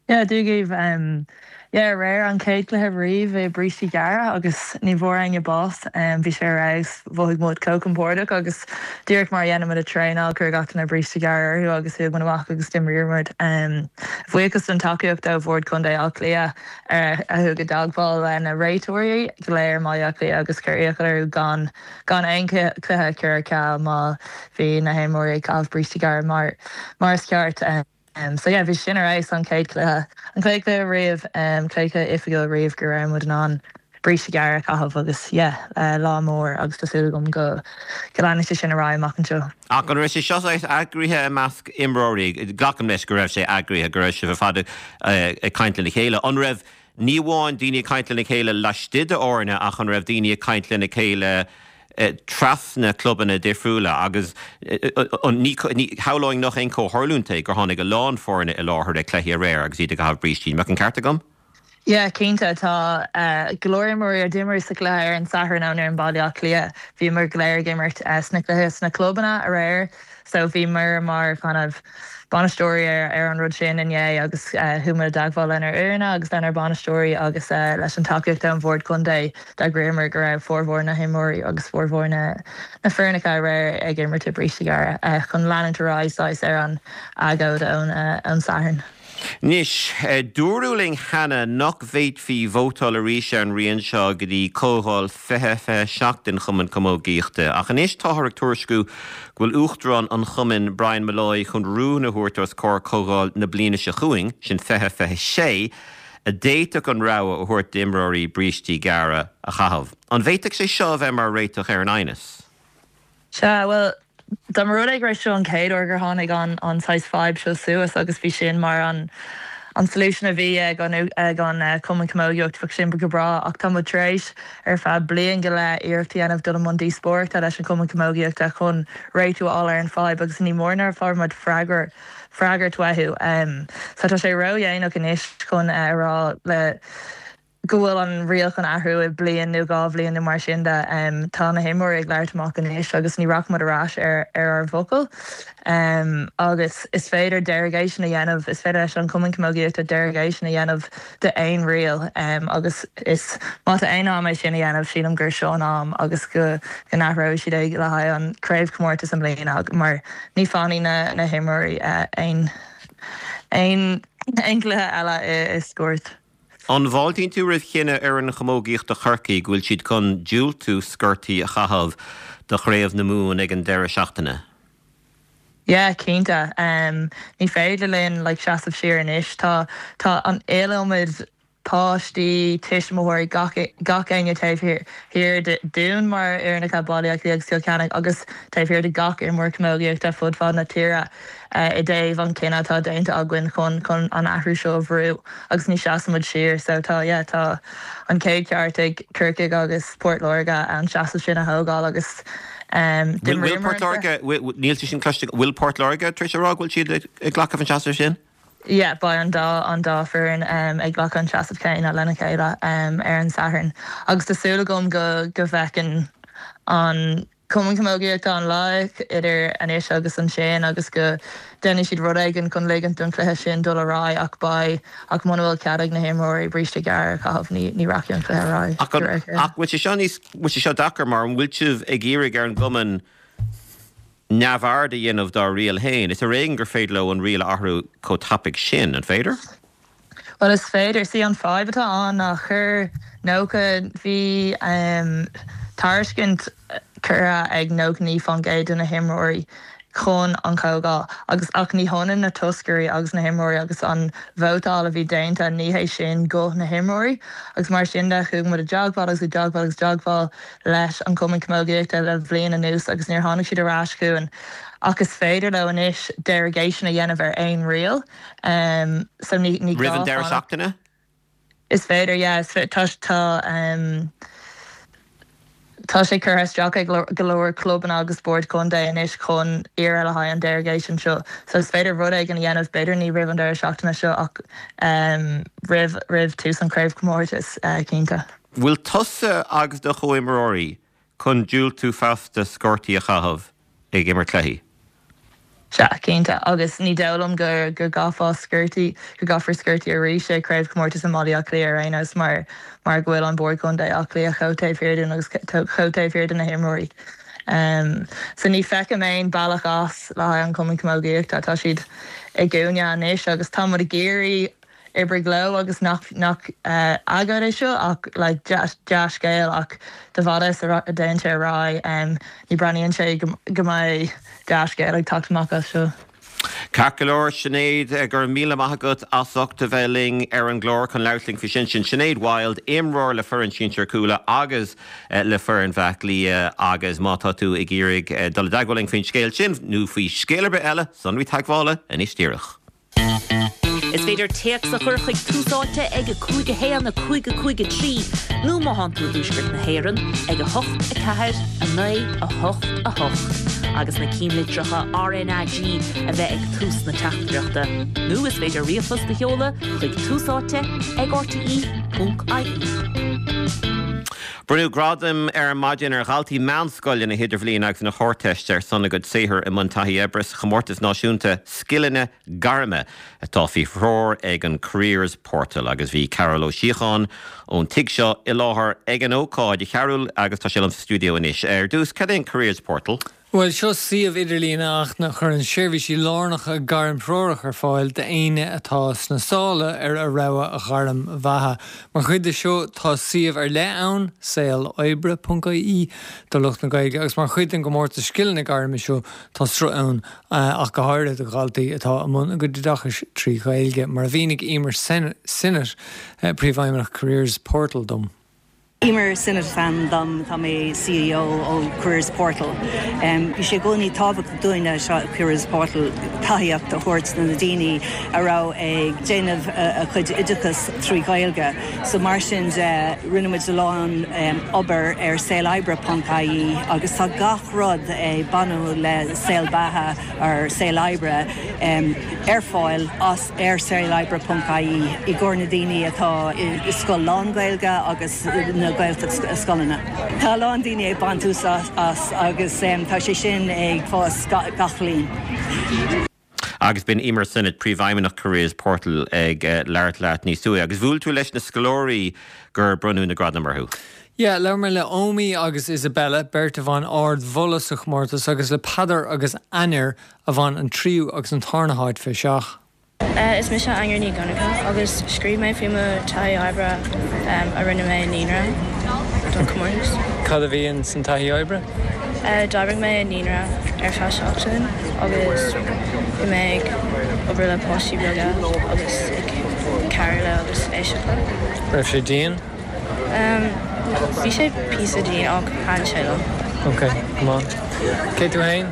Yeah, Dia dhaoibh. Yeah, aréir an chéad cluiche riamh i brístí gearra agus ní bhfuair éinne bás. Bhí sé ar fheabhas, mhothaigh muid chomh compordach agus díreach mar a dhéanann muid ag traenáil, chuir gach duine bríste gearr orthu agus chuaigh muid amach agus d'imríomar muid. Buíochas don tacaíocht ó Bhord Contae Átha Cliath a chuaigh i dteagmháil le na réiteoirí go léir i mBaile Átha Cliath agus chuir iachall orthu gan gan aon cluiche a chur ar ceal má bhí na himreoirí ag caitheamh brístí gearra mar mar is ceart. So yeah, bhí sin ar fheabhas an chéad cluiche, an chéad cluiche riamh, chéad cluiche oifigiúil riamh go raibh muid in ann bríste gearr a chaitheamh agus yeah lá mór agus tá súil agam go go leanfaidh sé sin ar aghaidh amach anseo. Ach an raibh sé seo eagraithe i measc imreoirí, glacaim leis go raibh sé eagraithe go raibh sibh ar fad ag caint lena chéile. An raibh ní amháin daoine ag caint lena chéile laistigh d'fhoirne ach an raibh daoine ag caint lena chéile trasna clubanna difriúla agus ní shamhlóinn nach aon chomhtharlúint é gur tháinig a lán foirne i láthair ag cluichí aréir agus iad ag caitheamh brístí. An mbeadh an ceart agam? Yeah, cinnte tá uh, go leor imreoirí a d'imir sa chluiche ar an Satharn ann ar an Baile Átha Cliath. Bhíomar go léir ag imirt uh, sna cluiche sna clubanna aréir, so bhíomar mar kind of bainisteoirí ar, ar an rud sin inné agus uh, chuamar i dteagmháil lenár bhfoirne agus lenár bainisteoirí agus uh, leis an tacaíocht ón bhord contae d'eagraíomar go raibh formhór na himreoirí agus formhór na na foirne aréir ag imirt i bríste gearra uh, chun leanúint ar aghaidh ar an agóid ón uh, ón Satharn. Anois, dúradh linn cheana nach bhféadfaí vótáil arís ar an riail seo go dtí comhdháil fiche fiche seacht den Chumann Camógaíochta. Ach anois táthar ag tuairisciú go bhfuil uachtarán an chumainn Brian Molloy chun rún a thabhairt os comhair comhdháil na bliana seo chugainn, sin fiche fiche sé, a d'fhéadfadh an rogha a thabhairt d'imreoirí brístí gearra a chaitheamh. An bhféadfadh sé seo bheith mar réiteach ar an aighneas? Sea, well, Dá mba rud é go raibh seo an chéad uair gur tháinig an an saghas fadhb seo suas agus bhí sin mar an an solution a bhí ag an ag an uh, Cumann Camógaíochta bheadh sin go breá ach tá tar éis ar feadh bliain go leith iarracht a dhéanamh dul i mbun díospóireachta leis an Cumann Camógaíochta chun réiteach a fháil ar an fadhb agus ní mór nár fuair muid freagra freagairt uathu. Um, so tá sé ródhéanach anois chun uh, rá le go bhfuil an riail chun athrú i bliain nó dhá bhliain nó mar sin de um, tá na himreoirí ag labhairt amach anois agus ní rachaimid ar ais ar ar ár bhfocal. Um, agus is féidir derogation a dhéanamh is féidir leis an Cumann Camógaíochta derogation a dhéanamh de aon riail um, agus is má tá aon am é sin a dhéanamh sílim gur seo an am agus go go n-athróidh siad é le haghaidh an craobhchomórtas i mbliana mar ní fanfaidh na na himreoirí uh, aon aon aon chluiche eile i, i scórt. An bhfáiltíonn tú roimh chinneadh fhoireann chamógaíochta Chorcaí go bhfuil siad chun diúltú sciortaí a chaitheamh do chraobh na Mumhan ag an deireadh seachtaine. Yeah, cinnte. Um, ní féidir linn like, seasamh siar anois tá tá an iliomad páistí tuismitheoirí gach gach éinne taobh thiar dúinn mar fhoirne Baile Átha Cliath agus Cill Chainnigh agus taobh thiar de gach imreoir camógaíochta fud fad na tíre uh, i dtaobh an cinneadh atá déanta againn chun chun an athrú seo a bhrú agus ní seasaimid siar so tá yeah, tá an céad ceart ag Corcaigh agus Port Láirge an seasamh sin a thógáil agus um, Bhfuil Port Láirge níl sin cloiste bhfuil Port Láirge tar éis a rá go bhfuil siad ag glacadh an seasamh sin? Yeah, beidh an dá an dá foireann um, ag glacadh an seasamh céanna lena chéile um, ar an Satharn. Agus tá súil agam go go bhfeiceann an Cumann Camógaíochta an lá idir anois agus ansin agus go ndéanfaidh siad rud éigin chun ligint don chluiche sin dul ar aghaidh ach beidh ach muna bhfuil cead ag na himreoirí bríste gearr a chaitheamh ní ní rachaidh an cluiche ar aghaidh. Ach bhfuil sé seo níos bhfuil sé seo deacair mar an bhfuil sibh ag iarraidh ar an gcumann neamhaird a dhéanamh dá riail féin. Is ar éigean gur féidir leo an riail a athrú chomh tapaidh sin, an féidir? Well is féidir sí an fadhb atá ann ná chuir nócha bhí um, tairiscint curtha ag nócha naoi faoin gcéad de na himreoirí chun an chomhdháil agus ach ní hionann na toscairí agus na himreoirí agus an vótáil a bhí déanta ní hé sin guth na himreoirí agus mar sin de chuaigh muid i dteagmháil agus i dteagmháil agus dteagmháil leis an Cumann Camógaíochta le bliain anuas agus níor tháinig siad ar ais chugainn ach is féidir leo anois derogation a dhéanamh ar aon riail um, so ní ní Roimh an deireadh seachtaine? Is féidir yeah, is tá tá um, Tá sé curtha isteach ag go leor clubanna agus boird contae anois chun iarraidh le haghaidh an derogation seo. So is féidir rud éigin a dhéanamh b'fhéidir ní roimh an deireadh seachtaine seo ach um, roimh roimh tús an craobhchomórtas uh, cinnte. Bhfuil tusa agus do chomhimreoirí chun diúltú feasta sciortaí a chaitheamh ag imirt cluichí? Sea cinnte agus ní dóigh liom go go gcaithfear sciortaí go gcaithfear sciortaí arís i craobhchomórtas i mBaile Átha Cliath ar aon nós mar mar go bhfuil an bord contae Átha Cliath chomh taobh thiar dúinn agus chomh taobh thiar de na himreoirí. Um, so ní feicim aon bealach as le haghaidh an Cumann Camógaíochta tá siad i gcúinne anois agus tá muid ag iarraidh oibriú leo agus nach nach uh, agóid é seo ach like, dea-scéal ach de bhada a dtéann sé ar aghaidh um, ní breathnaíonn sé go mbeidh dea-scéal ag teacht amach as seo. Ceart go leor Sinéad go raibh míle maith agat as ucht a bheith linn ar an gclár chun labhairt linn faoi sin sin Sinéad Wilde imreoir le foireann sinsir Cuala agus le foireann Bhaile Átha Cliath agus má tá tú ag iarraidh dul i dteagmháil linn faoin scéal sin nó faoi scéal ar bith eile sonraí teagmhála anois díreach. Is féidir téacs a chur chuig Tús Áite ag a cúig a haon a cúig a cúig a trí nó má tá tú i dtuaisceart na hÉireann ag a hocht a ceathair a naoi a hocht a hocht agus na ceannlitreacha RnaG a bheith ag tús na teachtaireachta. Nó is féidir ríomhphost a sheoladh chuig Tús Áite ag RTE.ie. Bronnadh gradaim ar maidin ar dhaltaí meánscoile na hidirbhliana agus na hArdteiste ar son a gcuid saothair i mbun taithí oibre sa chomórtas náisiúnta scileanna gairme atá faoi threoir ag an Careers Portal agus bhí Cearbhall Ó Síocháin ón tigh seo i láthair ag an ócáid a Chearbhaill agus tá sé liom sa stiúideo anois. Ar dtús cad é an Careers Portal? Bhuel seo suíomh idirlín a chuireann seirbhísí lárnacha gairmthreorach ar fáil d'éinne atá sna sála ar a rogha gairm bheatha. Mar chuid de seo tá suíomh ar leith ann saoloibre.ie do lucht na Gaeilge agus mar chuid den gcomórtas scileanna gairme seo tá sruth ann ach go háirithe do dhaltaí atá i mbun a gcuid oideachais trí Ghaeilge, mar a mhínigh Emer Sinnott príomhfheidhmeannach Careers Portal dom. Emer Sinnott is ainm dom tá mé CEO ó Careers Portal. Bhí sé i gcónaí tábhachtach dúinne seo Careers Portal tacaíocht a thabhairt na daoine a raibh ag déanamh a chuid oideachas trí Ghaeilge. So mar sin de rinne muid a lán obair ar saoloibre.ie agus tá gach rud ag baint le saol beatha ar saol oibre ar fáil as ar saoloibre.ie i gcomhair na daoine atá i scoil lán-Ghaeilge agus na Gaeltacht scoileanna. Tá lán daoine ag baint úsáid as agus tá sé sin ag fás gach bliain. Agus b'in Emer Sinnott príomhfheidhmeannach Careers Portal ag labhairt leat níos luaithe, agus bhuail tú leis na scoláirí gur bronnadh na gradaim orthu. Yeah, labhair mé le Omi agus Isabella, beirt a bhain ardmholadh sa chomórtas agus le Peadar agus Ainir a bhain an tríú agus an tarna háit faoi seach. Uh, is mise Ainir Ní Dhonncha agus scríobh mé faoi mo taithí oibre um, a rinne mé i naíonra don chomórtas. Cad a bhí san taithí oibre? Uh, D'oibrigh mé i naíonra ar feadh seachtain agus bhí mé ag obair le páistí beaga agus ag cabhrú leo agus éisteacht leo. Raibh sé dian? Um, bhí sé píosa dian ach thaitin sé liom. Ok, come Cé tú féin?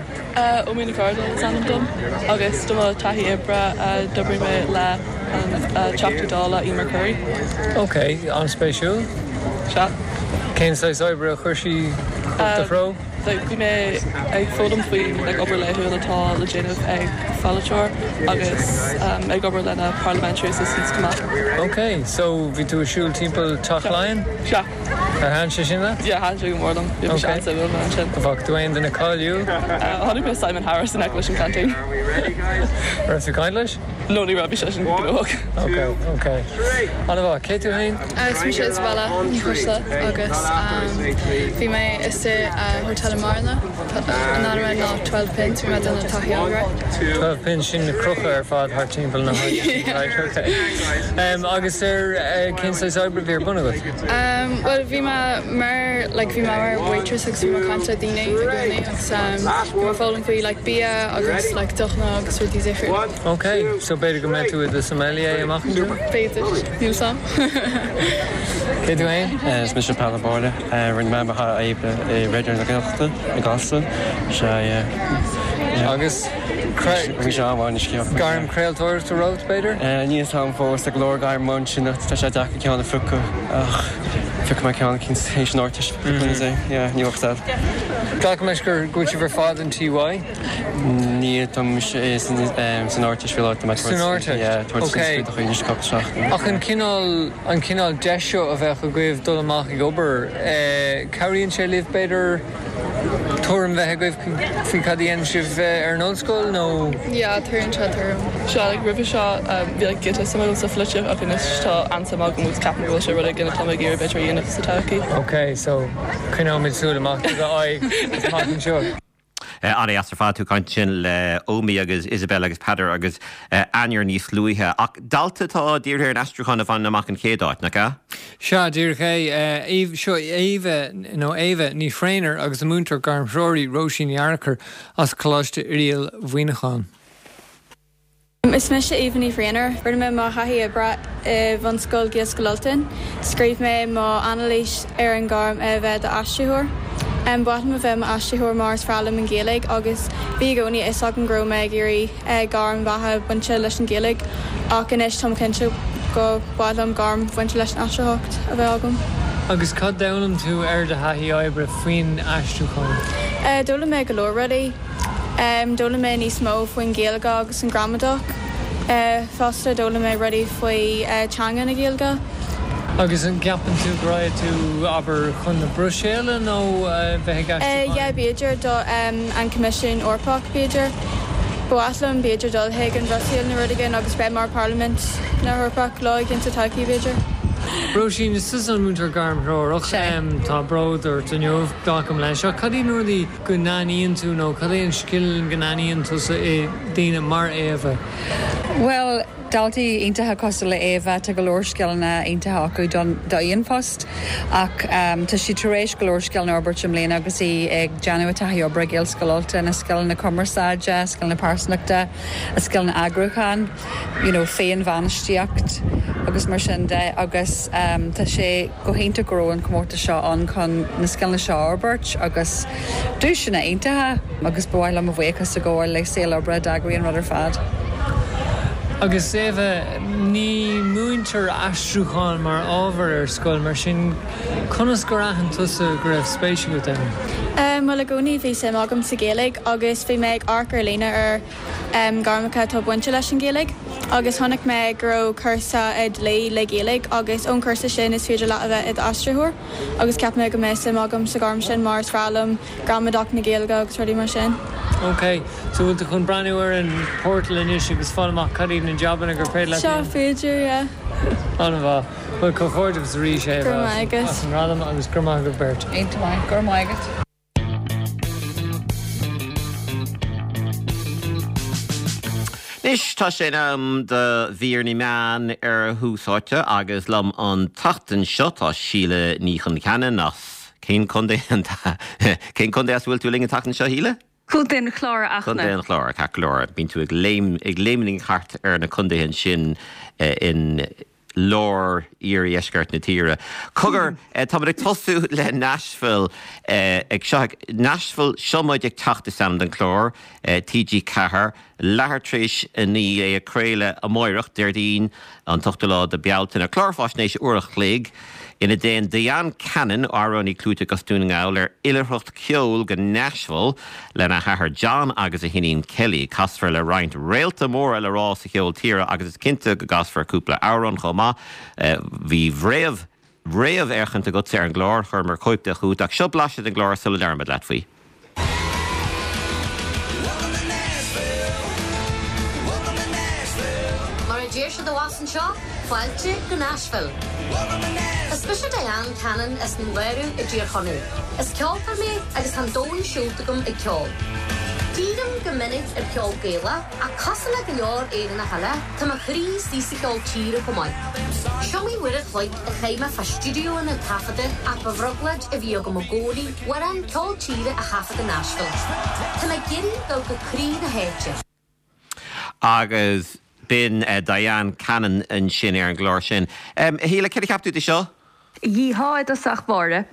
Omi Nic Ardal is ainm dom agus do mo taithí oibre d'oibrigh mé le an Teachta Dála Emer Currie. Ok, an-spéisiúil? Sea. Cén saghas oibre a chuir sí do threo? Bhí mé ag foghlaim faoi like, obair laethúil atá le déanamh ag pholaiteoir agus um, ag obair lena parliamentary assistants go maith. Ok, so bhí tú ag siúl timpeall Teach Laighean? Sea. Ar thaitin sé sin leat? Yeah, thaitin sé go mór liom. Bhí sé an sin. Bhfaca tú aon duine cáiliúil? Chonaic mé Simon Harris in aice leis an canteen. Raibh tú caint leis? No ní raibh sé sin gnóthach. Ok, ok. An-mhaith, cé tú féin? Is mise Isabella Ní Choisle agus bhí mé i hotel i mBearna an ainm ná Twelve Pins bhí mé ag déanamh taithí oibre. Twelve Pins sin na crocha ar fad thart timpeall na right, okay. Um, agus ar uh, cén saghas oibre bhí ar bun agat? Um, well bhí mé mar like, bhí mé mar waitress agus bhí mé caint le daoine i gcónaí agus um, bhí mé foghlaim faoi like, bia agus like, deochanna agus rudaí difriúla. Ok, so b'fhéidir go mbeidh tú i do sommelier amach anseo? B'fhéidir, níl sam. Cé tú féin? Is mise Peadar Báile rinne mé mo thaithí oibre i Raidió na Gaeltachta i gCasla sé Agus bhí sé an scéal. Gairm craoltóireachta romhat b'fhéidir? Níl am fós ag leor gairm sin tá sé deacair ceann a phiocadh ach phiocfaidh mé ceann cinn théis an Ardteist ní bheadh. Glacaim leis gur go bhfuil sibh ar fad in TY? Ní tá san Ardteist faoi láthair San Ardteist? Ok. Ach an cineál an cineál deis seo a bheith agaibh dul amach ag obair, cabhraíonn sé libh b'fhéidir tuairim bheith agaibh faoi cad a dhéanann sibh ar an ollscoil nó? Yeah, tuairim sé tuairim. Sea like, roimhe seo bhí like, giota suim agam sa pholaitíocht ach anois tá an-suim agam agus ceapaim go bhfuil sé rud éigin atá mé ag iarraidh b'fhéidir a dhéanamh sa todhchaí. Ok, so coinneoimid súil amach do d'aghaidh amach anseo. An-deas ar fad tú caint sin le Omi agus Isabel agus Peadar agus Ainir níos luaithe. Ach dalta atá dírithe ar an aistriúchán a bhain amach an chéad áit, nach ea? Sea díreach é seo Éabha nó Éabha Ní Thréinir agus a múinteoir gairmthreoraí Róisín Ní Fhearchair as Coláiste Oiriall Mhuineacháin. Is mise Éabha Ní Bhraonáin, rinne mé mo thaithí oibre i bhunscoil Ghaelscoil Ultain. Scríobh mé mo anailís ar an gairm a bheith d'aistritheoir. Ba mhaith liom a bheith m'aistritheoir mar is fearr liom an Ghaeilge agus bhí i gcónaí fhios agam go raibh mé ag iarraidh gairm bheatha bainte leis an Ghaeilge ach anois táim cinnte go mhaith liom gairm bhainte leis an aistritheoireacht a bheith agam. Agus cad d'fhoghlaim tú ar do thaithí oibre faoin aistriúchán? D'fhoghlaim mé go leor rudaí. D'fhoghlaim mé níos mó faoin Ghaeilge agus an gramadach. Fosta d'fhoghlaim mé rudaí faoi teanga na Gaeilge. Agus an gceapann tú go raghaidh tú, abair, chun na Bruiséile nó bheith ag aistriúchán? Yeah, b'fhéidir do an Coimisiún Eorpach, b'fhéidir. Ba mhaith liom b'fhéidir dul chuig an Bhruiséil nó rud éigin agus bheith mar Parlaimint na hEorpach lá éigin sa todhchaí, b'fhéidir. Róisín, is tusa an múinteoir gairmthreorach. Tá bród ort inniu, glacaim leis. Ach cad iad na rudaí go n-aithníonn tú nó cad é an scil go n-aithníonn tusa i ndaoine mar Éabha? Bhuel, daltaí iontacha cosúil le Éabha, tá go leor scileanna iontacha acu don d'aon phost ach tá sí tar éis go leor scileanna a fhorbairt i mbliana agus í ag déanamh a taithí oibre ag Gaelscoil Ultain, a scileanna cumarsáide, a scileanna pearsanachta, a scileanna eagrúcháin, you know, féinbhainistíocht agus mar sin de agus tá sé go hiontach go raibh an comórtas seo ann chun na scileanna seo a fhorbairt agus duaiseanna iontacha agus ba mhaith liom mo bhuíochas a ghabháil le Saol Oibre a d'eagraigh an rud ar fad. Agus Éabha, ní múintear aistriúchán mar ábhar ar scoil, mar sin conas gur aithin tusa go raibh spéis agat ann? Bhuel i gcónaí bhí suim agam sa Ghaeilge agus bhí mé ag amharc ar líne ar gairmeacha atá bainte leis an Ghaeilge agus chonaic mé go raibh cúrsa i dlí le Gaeilge agus ón cúrsa sin is féidir leat a bheith i d'aistritheoir agus ceap mé go mbeadh suim agam sa ghairm sin mar is fearr liom gramadach na Gaeilge agus rudaí mar sin. Ok, so bhfuil tú chun breathnú ar an portal anois agus fáil amach cad iad na jabanna gur féidir leat Seo féidir, yeah. An-mhaith. Bhuel comhghairdeas arís Go raibh maith agat. as an ngradam agus go raibh maith agaibh beirt. Iontach maith, go raibh maith agat. Anois tá sé in am do mhír na meán ar Thús Áite agus liom an tseachtain seo tá Síle Ní Choncheanainn as cén contae cén contae as bhfuil tú linn an tseachtain seo Shíle? Contae an Chláir a Contae Fhachtna. an Chláir ceart go leor bíonn tú ag léim ag léimnigh thart ar na contaetha ansin in lár iardheisceart na tíre. Cogar táimid ag tosú le Nashville ag seo Nashville seo muid ag teacht is ainm don chlár TG Ceathair leathuair tar éis a naoi é á chraoladh amárach Déardaoin an t-ochtú lá de Bealtaine clár faisnéise uair a chloig ina dtéann Diane Cannon amhránaí clúiteach as Dún na nGall ar oilithreacht ceoil go Nashville lena hathair John agus a hiníon Kelly. Casfar le roinnt réalta móra le rá sa cheol tíre agus is cinnte go gcasfar cúpla amhrán chomh maith bhí réamh réamhfhéachaint agat ar an gclár chuireamar cóip de chugat ach seo blaiseadh den gclár sula labhraímid leat faoi. Mar a deir siad abhus anseo, fáilte go Nashville. Is mise Diane Cannon as an Léiriú i dTír Chonaill. Is ceoltóir mé agus tá an domhan siúlta agam ag ceol. Dírim go minic ar cheol Gaelach ach cosúil le go leor Éireannach eile, tá mo chroí istigh sa cheol tíre chomh maith. Is iomaí uair a chloig a chaith mé fá stiúideonna taifeadta ach ba bhrioblóid a bhí agam i gcónaí amhrán ceol tíre a thaifead i Nashville. Tá mé ag iarraidh dul go croí na háite. Agus b'in Diane Cannon ansin ar an gclár sin. Shíle, céard a cheap tú de seo? Dhíthá i dtosach báire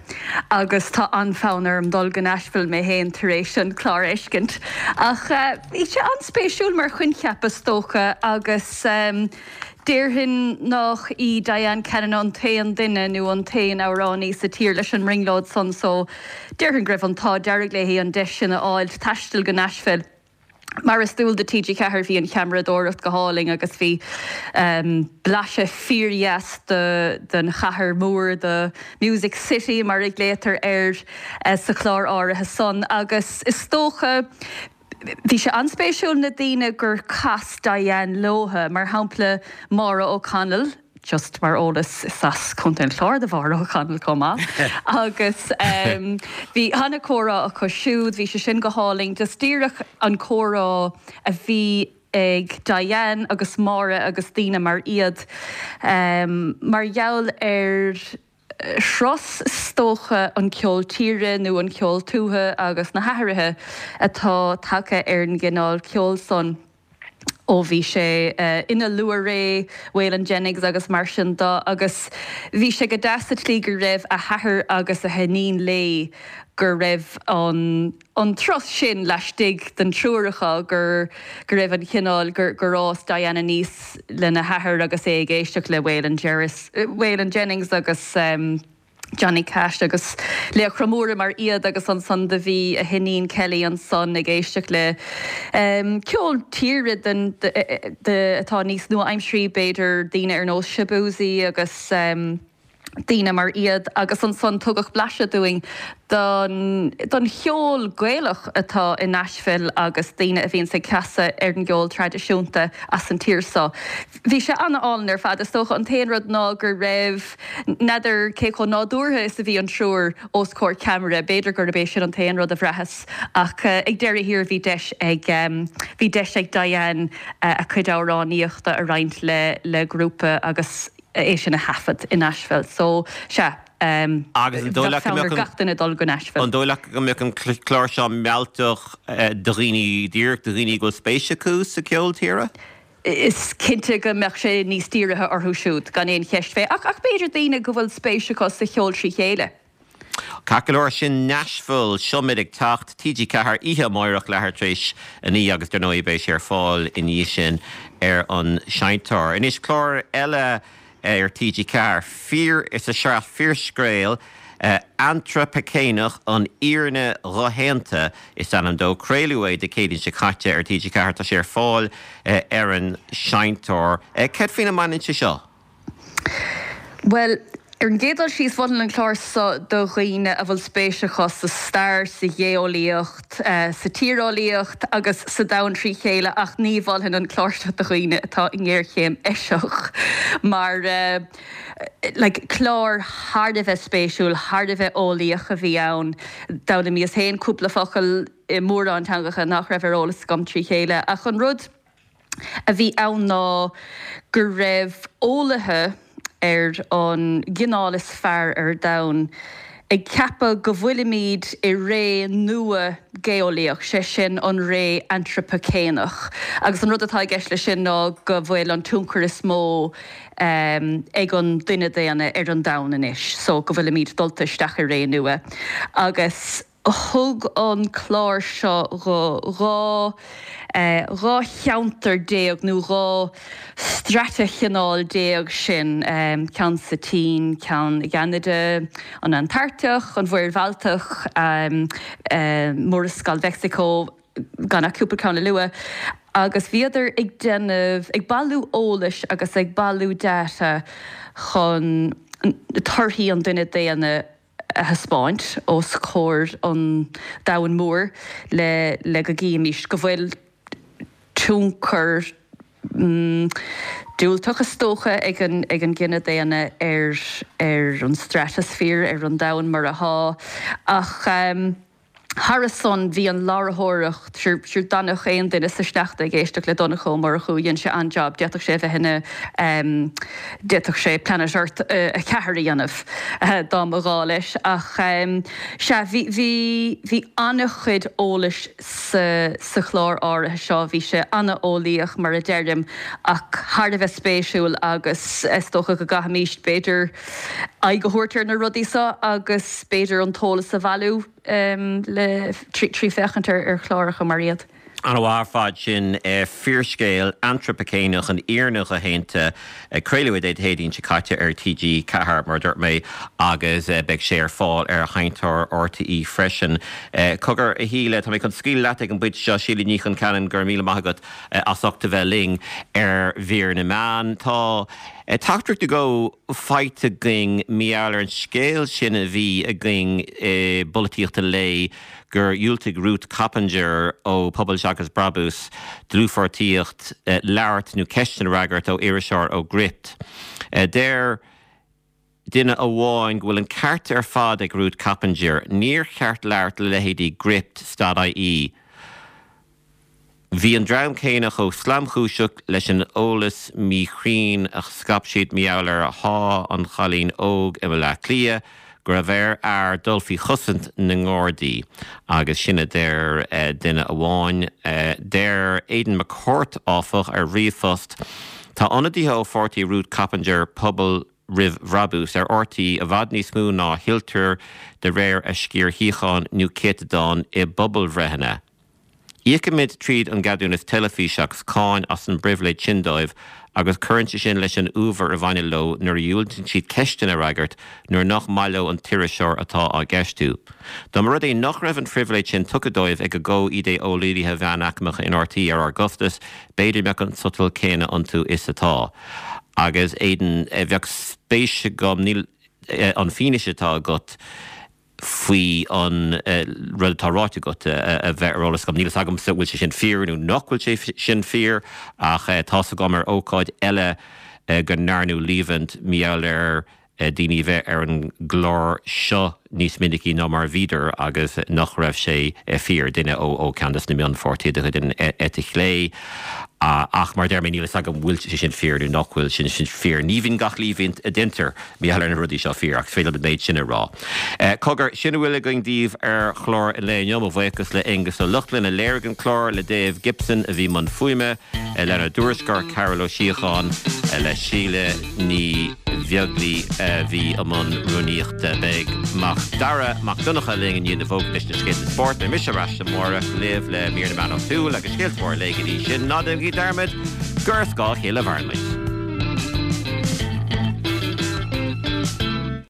agus tá an-fhonn orm dul go Nashville mé féin tar éis an clár a fheiscint. Ach bhí sé an-spéisiúil mar choincheap is dócha agus déarfainn nach í Diane Cannon an t-aon duine nó an t-aon amhránaí sa tír leis an mbrionglóid san so déarfainn go raibh an t-ádh dearg léi an deis sin a fháil taisteal go Nashville. Mar is dual do T G ceathair bhí an cheamaradóireacht go hálainn agus bhí blaiseadh fíordheas den chathair mhór, the Music City mar a ghlaotar air sa chlár áirithe san. Agus is dócha, bhí sé an-spéisiúil na daoine gur chas Diane leotha, mar shampla Maura O'Connell, just mar eolas is as Contae an Chláir do Mhaura O'Connell chomh maith, agus bhí an-chomhrá acu siúd, bhí sé sin go hálainn, just díreach an comhrá a bhí ag Diane agus Maura agus daoine mar iad mar gheall ar thros is dócha an ceol tíre nó an ceol tuaithe agus na hathruithe atá tagtha ar an gcineál ceoil san. ó bhí sé ina luathré, Waylon Jennings agus mar sin de agus bhí sé go deas sa tslí go raibh a hathair agus a hiníon léi go raibh an an turas sin laistigh den triúr acu gur go raibh an cineál gur gur fhás Diane aníos lena hathair agus é ag éisteacht le Waylon Jerris Waylon Jennings agus um, Johnny Cash agus laochra móra mar iad agus ansan do bhí a hiníon Kelly ansan ag éisteacht le um, ceol tíre den de atá níos nua-aimseartha b'fhéidir daoine ar nós Shaboozey agus um, daoine mar iad agus ansan tugadh blaiseadh dúinn don, don cheol Gaelach atá i Nashville agus daoine a bhíonn ag casadh ar an gceol traidisiúnta as an tír seo. Bhí sé an-álainn ar fad is dócha an t-aon rud ná go raibh n'fheadar cé chomh nádúrtha is a bhí an triúr os comhair ceamara, b'fhéidir gurb é sin an t-aon rud a bhraitheas ach uh, ag deireadh thiar bhí deis ag um, bhí deis ag Diane uh, a cuid amhránaíochta a roinnt le le grúpa agus é sin a thaifead in Nashville. So sea um, Agus an dóigh leat go mbeadh gach duine dul go Nashville. An dóigh leat go mbeadh an clár seo mealltach do dhaoine díreach do dhaoine go bhfuil spéis acu sa ceol tíre? Is cinnte go mbeadh sé níos dírithe orthu siúd gan aon cheist fé ach ach b'fhéidir daoine go bhfuil spéis acu sa cheol trí chéile. Ceart go leor sin Nashville Seo Muid ag Teacht TG Ceathair oíche amárach leathuair tar éis a naoi agus dar ndóigh beidh sé ar fáil ina dhiaidh sin ar an seinnteoir. Anois clár eile ar TG Ceathair fíor is a sraith fíorscéal uh, Antrapaicéineach an fhírinne dhoshéanta is ainm dó craoladh é Dé Céadaoin seo caite ar TG Ceathair tá sé ar fáil uh, ar an seinnteoir. Uh, Cad faoina mbaineann sé seo? Well, ar an gcéad dul síos mholfainn an clár seo do dhaoine a bhfuil spéis acu sa stair sa gheolaíocht, uh, sa tíreolaíocht agus sa domhan trí chéile ach ní mholfainn an clár seo do dhaoine atá i ngéarchéim eiseach mar uh, like, clár thar a bheith spéisiúil, thar a bheith eolaíoch a bhí ann D'fhoghlaimíos féin cúpla focal i mórán teangacha nach raibh ar eolas agam trí chéile ach an rud a bhí ann ná go raibh eolaithe ar an gcineál is fearr ar domhan ag ceapadh go bhfuilimid i ré nua geolaíoch, sé sin an ré antrapaicéineach. Agus an rud atá i gceist leis sin ná go bhfuil an tionchar is mó um, ag an duine daonna ar an domhan anois, so go bhfuilimid dulta isteach i ré nua. Agus thug an clár seo go dhá eh, dhá cheantar déag nó dhá stratachineál déag sin um, ceann sa tSín, ceann i gCeanada, an Antartach, an Mhuir Bhaltach, um, um, Murascaill Mheicsiceo, gan ach cúpla ceann a lua. Agus bhíodar ag déanamh ag bailiú eolais agus ag bailiú data chun torthaí an duine daonna a thaispeáint os comhair an domhain mhóir le le go gcífimís go bhfuil tionchar mm, diúltach is dócha ag an ag an gcine daonna ar ar an stratosphere ar an domhan mar atá ach um, Thar san bhí an láithreoireacht sure dá mbeadh aon duine sa sneachta ag éisteacht le Donncha Ó Murchú dhein sé an-jab d'fhéadfadh sé bheith ina d'fhéadfadh sé Planet Earth a ceathair a dhéanamh dá mba ghá leis ach sea bhí bhí bhí an-chuid eolais sa sa chlár áirithe seo bhí sé an-eolaíoch mar a deirim ach thar a bheith spéisiúil agus is dócha go gcaithfimís b'fhéidir aghaidh a thabhairt ar na rudaí seo agus b'fhéidir an t-eolas a bhailiú um, le trí, trí féachaint ar, ar chláracha mar iad. An-mhaith ar fad sin eh, fíorscéal antrapaicéineach an fhírinne dhoshéanta craoladh Dé Céadaoin seo caite ar TG Ceathair mar dúirt mé agus eh, beidh sé ar fáil ar sheinnteoir RTÉ freisin. Eh, cogar a Shíle tá mé chun scaoileadh leat ag an bpointe seo Síle Ní Chonceanainn gur míle maith agat as ucht a bheith linn ar mhír na meán. Tá teachtaireacht nó dhó faighte againn mar gheall ar an scéal sin a bhí againn i bpolaitíocht an lae gur dhiúltaigh Ruth Coppinger ó Pobal Seachas Brabús dlúthpháirtíocht labhairt nó ceisteanna a fhreagairt ó iriseoir ó Gript. Deir duine amháin go bhfuil an ceart ar fad ag Ruth Coppinger, níor cheart labhairt le leithéidí Gript stad IE. Bhí an dream céanna chomh slamchúiseach leis an eolas míchruinn a scaip siad mar gheall ar shá an chailín óg i mBaile Átha Cliath, go raibh ar fhear dul faoi chosaint na nGardaí agus sin a deir duine amháin. Deir Aidan McCourt, áfach, ar ríomhphost, Tá ionadaithe ó pháirtí Ruth Coppinger, Pobal Roimh Bhrabús, ar RTÉ i bhfad níos mó ná a thuilltear de réir a sciar shuíochán nó céatadán i bpobalbhreitheanna. Íocaimid tríd an gceadúnas teilifíse agus cáin as an bpribhléid sin dóibh agus cuireann sé sin leis an uabhar a bhaineann leo nuair a dhiúltaíonn siad ceisteanna a fhreagairt nuair nach maith leo an t-iriseoir atá á gceistiú. Dá mba rud é nach raibh an phribhléid sin tugtha dóibh ag a gcomh-idé-eolaithe mheánaicmeacha in RTÉ ar ár gcostas, b'fhéidir mbeadh an sotal céanna iontu is atá. Agus Aidan, bheadh spéis agam, níl an fianaise atá agat, faoi an rud atá ráite agat a bheith ar eolas agam. Níl fhios agamsa an bhfuil sé sin fíor nó nach bhfuil sé sin fíor ach tá's agam ar ócáid eile go ndearnadh líomhaint mar gheall ar daoine a bheith ar an gclár seo níos minicí ná mar a bhíodar agus nach raibh sé fíor, duine ó cheann de na mionpháirtithe de chuid an eite chlé. Ach mar a deir mé, níl fhios agam an bhfuil sé sin fíor nó nach bhfuil sé sin fíor. Ní bhíonn gach líomhaint a deintear mar gheall ar na rudaí seo fíor, ach is féidir liom an méid sin a rá. Cogar, sin a bhfuil againn daoibh ar chlár an lae inniu. Mo bhuíochas le Aonghus Ó Lochlainn a léirigh an clár, le Dave Gibson a bhí i mbun fuaime, lenár dtuairisceoir Carol Ó Síocháin, le Síle Ní Bheaglaoi a bhí i mbun rúnaíochta. Beidh Mac Dara Mac Donncha linn i ndiaidh na bhfógraí leis na scéalta spóirt. Beidh mise ar ais amárach libh le mír na meán áitiúil agus scéalta móra an lae go dtí sin. Ná déanaigí dearmad gur ar scáth a chéile a mhaireann muid.